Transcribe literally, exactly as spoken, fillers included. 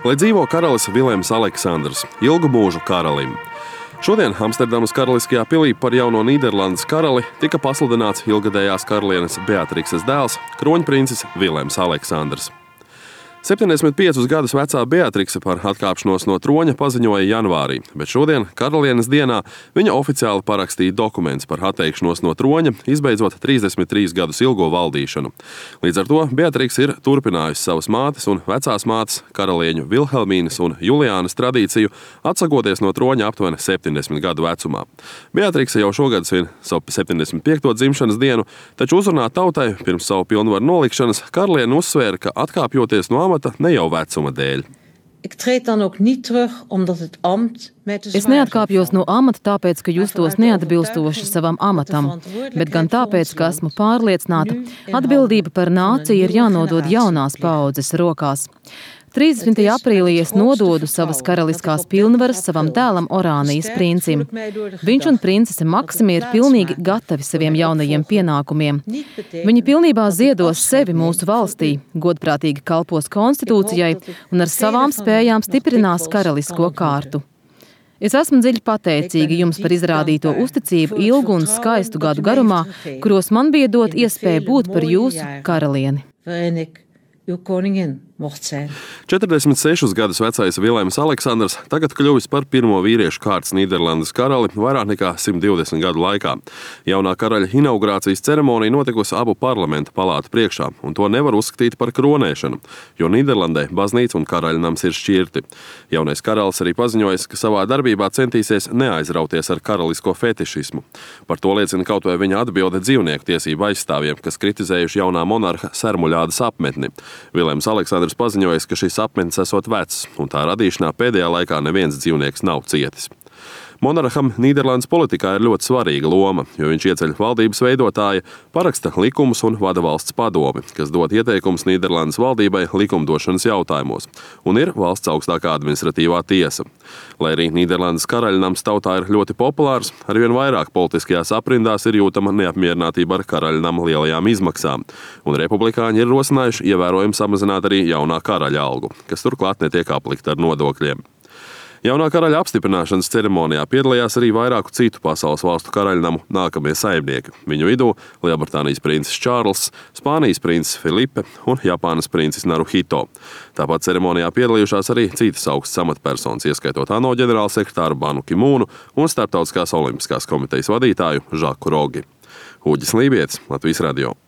Lai dzīvo karalis Vilems Aleksandrs, ilgu mūžu karalim. Šodien Amsterdamas karaliskajā pilī par jauno Nīderlandes karali tika pasludināts ilgadējās karalienes Beatrikses dēls, kroņprincis Vilems Aleksandrs. septiņdesmit piecus gadus vecā Beatrikse par atkāpšanos no troņa paziņoja janvārī, bet šodien, karalienes dienā, viņa oficiāli parakstīja dokumentus par atteikšanos no troņa, izbeidzot trīsdesmit trīs gadus ilgo valdīšanu. Līdz ar to Beatrikse ir turpinājusi savas mātes un vecās mātes, karalieņu Vilhelmīnas un Juliānas tradīciju, atsakoties no troņa aptuveni septiņdesmit gadu vecumā. Beatrikse jau šogad svin savu septiņdesmit piekto dzimšanas dienu, taču uzrunā tautai pirms savu pilnvaru nolikšanas karaliene uzsvēra, ka atkāpjoties no amata ne jau vecuma dēļ. Es neatkāpjos no amata tāpēc, ka justos neatbilstoši savam amatam, bet gan tāpēc, ka esmu pārliecināta, atbildība par nāciju ir jānodod jaunās paaudzes rokās. trīsdesmitajā aprīlī es nododu savas karaliskās pilnvaras savam dēlam Orānijas princim. Viņš un princese Maksimi ir pilnīgi gatavi saviem jaunajiem pienākumiem. Viņi pilnībā ziedos sevi mūsu valstī, godprātīgi kalpos konstitūcijai un ar savām spējām stiprinās karalisko kārtu. Es esmu dziļi pateicīga jums par izrādīto uzticību ilgu un skaistu gadu garumā, kuros man bija dot iespēju būt par jūsu karalieni. četrdesmit sešus gadus vecais Vilems Aleksandrs tagad kļuvis par pirmo vīriešu kārtas Nīderlandes karali vairāk nekā simt divdesmit gadu laikā. Jaunā karaļa inaugurācijas ceremonija notikusi abu parlamenta palātu priekšā, un to nevar uzskatīt par kronēšanu, jo Nīderlandē baznīca un karaļnams ir šķirti. Jaunais karalis arī paziņojis, ka savā darbībā centīsies neaizrauties ar karalisko fetišismu. Par to liecina kaut vai viņa atbilde dzīvnieku tiesību aizstāvjiem, kas kritizējuši jaunā monarha Sermuļādas apmetni. Vilems Aleksandrs paziņojis, ka šis apmetnis esot vecs, un tā radīšanā pēdējā laikā neviens dzīvnieks nav cietis. Monarham Nīderlandes politikā ir ļoti svarīga loma, jo viņš ieceļ valdības veidotāja, paraksta likumus un vada valsts padomi, kas dod ieteikumus Nīderlandes valdībai likumdošanas jautājumos, un ir valsts augstākā administratīvā tiesa. Lai arī Nīderlandes karaļnams tautā ir ļoti populārs, arvien vairāk politiskajās aprindās ir jūtama neapmierinātība ar karaļnama lielajām izmaksām, un republikāņi ir rosinājuši ievērojami samazināt arī jaunā karaļa algu, kas turklāt netiek aplikta ar nodokļiem. Jaunā karaļa apstiprināšanas ceremonijā piedalījās arī vairāku citu pasaules valstu karaļnamu nākamie saimnieki. Viņu vidū Lielbritānijas princis Čārls, Spānijas princis Filipe un Japānas princis Naruhito. Tāpat ceremonijā piedalījušās arī citas augstas amatpersonas, ieskaitot ANO ģenerālsekretāru Banu Kimūnu un Starptautiskās olimpiskās komitejas vadītāju Žaku Rogi. Uģis Lībietis, Latvijas radio.